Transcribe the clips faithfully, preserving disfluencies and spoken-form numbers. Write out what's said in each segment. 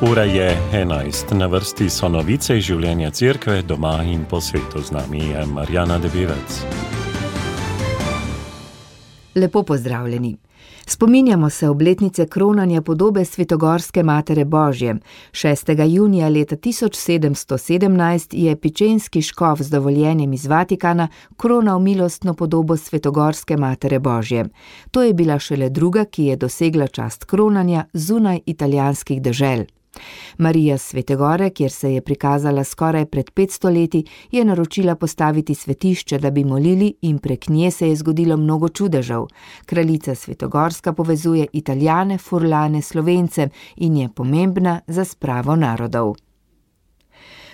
Ura je enajst, na vrsti so novice iz življenja cerkve, doma in po svetu. Z nami je Marjana Debevec. Lepo pozdravljeni. Spominjamo se obletnice kronanja podobe Svetogorske Matere Božje. šestega junija leta tisoč sedemsto sedemnajst je pičenski škof z dovoljenjem iz Vatikana kronal milostno podobo Svetogorske Matere Božje. To je bila šele druga, ki je dosegla čast kronanja zunaj italijanskih dežel. Marija Svete Gore, kjer se je prikazala skoraj pred petsto leti, je naročila postaviti svetišče, da bi molili, in prek nje se je zgodilo mnogo čudežev. Kraljica Svetogorska povezuje Italijane, Furlane, Slovence in je pomembna za spravo narodov.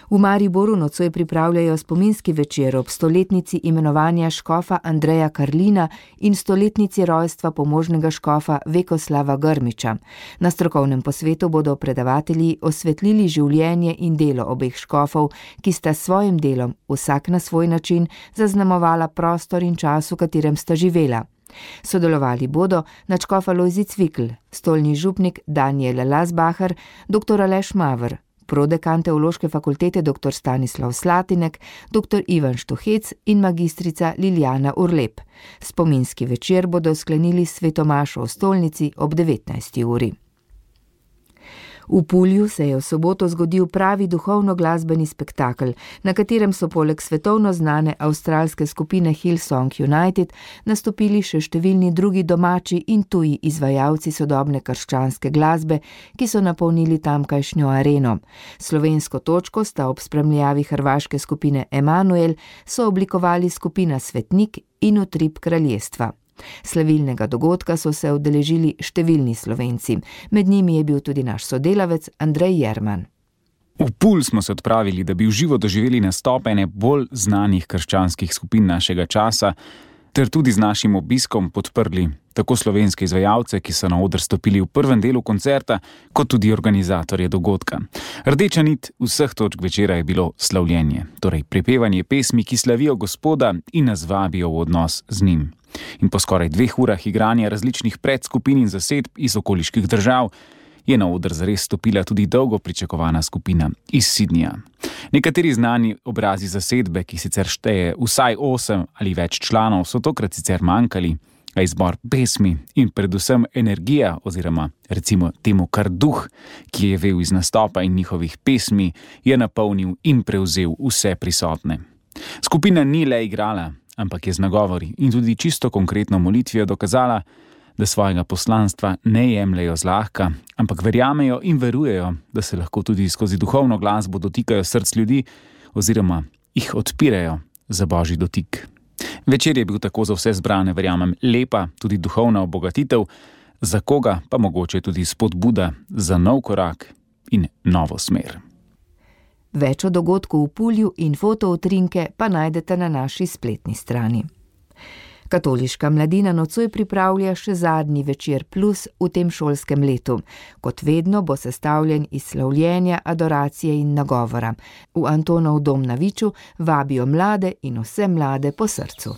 V Mariboru nocoj pripravljajo spominski večer ob stoletnici imenovanja škofa Andreja Karlina in stoletnici rojstva pomožnega škofa Vekoslava Grmiča. Na strokovnem posvetu bodo predavatelji osvetlili življenje in delo obeh škofov, ki sta s svojim delom, vsak na svoj način, zaznamovala prostor in čas, v katerem sta živela. Sodelovali bodo nadškof Alojzij Cvikl, stolni župnik Danijel Lasbacher, doktor Aleš Maver, prodekan Teološke fakultete doktor Stanislav Slatinek, doktor Ivan Štuhec in magistrica Liljana Urlep. Spominski večer bodo sklenili s svetomašo v stolnici ob devetnajsti uri. V Pulju se je v soboto zgodil pravi duhovno-glasbeni spektakel, na katerem so poleg svetovno znane avstralske skupine Hillsong United nastopili še številni drugi domači in tuji izvajalci sodobne krščanske glasbe, ki so napolnili tamkajšnjo areno. Slovensko točko sta ob spremljavi hrvaške skupine Emanuel sooblikovali skupina Svetnik in Utrip kraljestva. Slavilnega dogodka so se udeležili številni Slovenci. Med njimi je bil tudi naš sodelavec Andrej Jerman. V Pulj smo se odpravili, da bi v živo doživeli nastop ene bolj znanih krščanskih skupin našega časa, ter tudi z našim obiskom podprli tako slovenske izvajalce, ki so na oder stopili v prvem delu koncerta, kot tudi organizatorje dogodka. Rdeča nit vseh točk večera je bilo slavljenje, torej prepevanje pesmi, ki slavijo Gospoda in nas vabijo v odnos z njim. In po skoraj dveh urah igranja različnih predskupin in zasedb iz okoliških držav je na oder zares stopila tudi dolgo pričakovana skupina iz Sydneyja. Nekateri znani obrazi zasedbe, ki sicer šteje vsaj osem ali več članov, so tokrat sicer manjkali, a izbor pesmi in predvsem energija oziroma recimo temu kar duh, ki je vel iz nastopa in njihovih pesmi, je napolnil in prevzel vse prisotne. Skupina ni le igrala, ampak je z nagovori in tudi čisto konkretno molitvijo dokazala, da svojega poslanstva ne jemljejo zlahka, ampak verjamejo in verujejo, da se lahko tudi skozi duhovno glasbo dotikajo src ljudi oziroma jih odpirajo za božji dotik. Večer je bil tako za vse zbrane, verjamem, lepa, tudi duhovna obogatitev, za koga pa mogoče tudi spodbuda za nov korak in novo smer. Več o dogodku v Pulju in fotoutrinke pa najdete na naši spletni strani. Katoliška mladina nocoj pripravlja še zadnji večer plus v tem šolskem letu. Kot vedno bo sestavljen iz slavljenja, adoracije in nagovora. V Antonov dom na Viču vabijo mlade in vse mlade po srcu.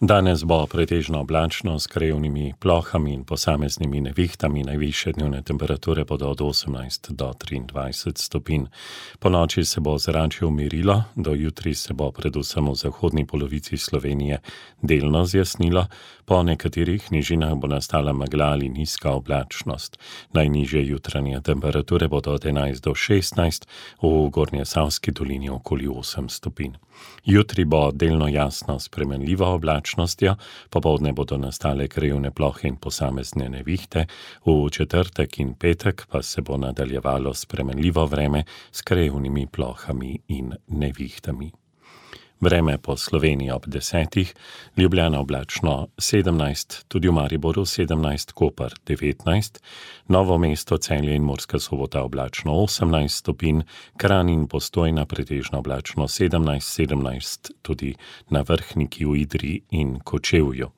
Danes bo pretežno oblačno s krajevnimi plohami in posameznimi nevihtami. Najvišje dnevne temperature bodo od osemnajst do triindvajset stopinj. Po noči se bo ozračje umirilo, do jutri se bo predvsem v zahodni polovici Slovenije delno zjasnilo, po nekaterih nižinah bo nastala megla ali nizka oblačnost. Najnižje jutranje temperature bodo od enajst do šestnajst, v Gornjesavski dolini okoli osem stopinj. Jutri bo delno jasno spremenljivo oblačnostjo, popoldne bodo nastale krajevne plohe in posamezne nevihte, v četrtek in petek pa se bo nadaljevalo spremenljivo vreme s krajevnimi plohami in nevihtami. Vreme po Sloveniji ob desetih, Ljubljana oblačno sedemnajst, tudi v Mariboru sedemnajst, Koper devetnajst, Novo mesto, Celje in Murska Sobota oblačno osemnajst stopinj, Kranj in Postojna pretežno oblačno sedemnajst, sedemnajst tudi na Vrhniki, v Idriji in Kočevju.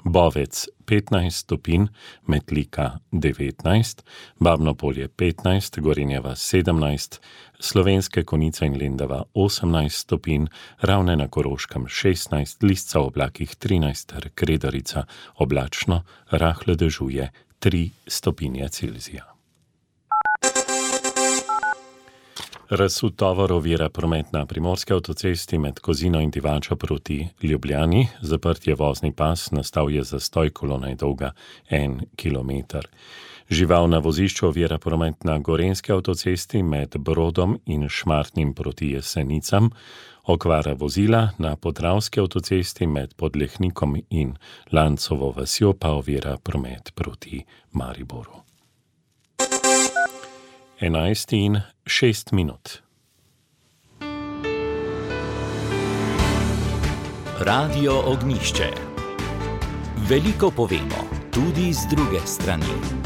Bovec petnajst stopinj, Metlika devetnajst, Babno Polje petnajst, Gorenjeva sedemnajst, Slovenske Konjice in Lendava osemnajst stopinj, Ravne na Koroškem šestnajst, Lisca v oblakih trinajst ter Kredarica oblačno, rahle dežuje tri stopinje Celzija. Razsut tovor ovira promet na primorski avtocesti med Kozino in Divačo proti Ljubljani. Zaprt je vozni pas, nastal je zastoj, kolona je dolga en kilometer. Žival na vozišču ovira promet na gorenjski avtocesti med Brodom in Šmartnim proti Jesenicam. Okvara vozila na podravski avtocesti med Podlehnikom in Lancovo vasjo pa ovira promet proti Mariboru. enajst in šest minut. Radio Ognjišče. Veliko povemo, tudi z druge strani.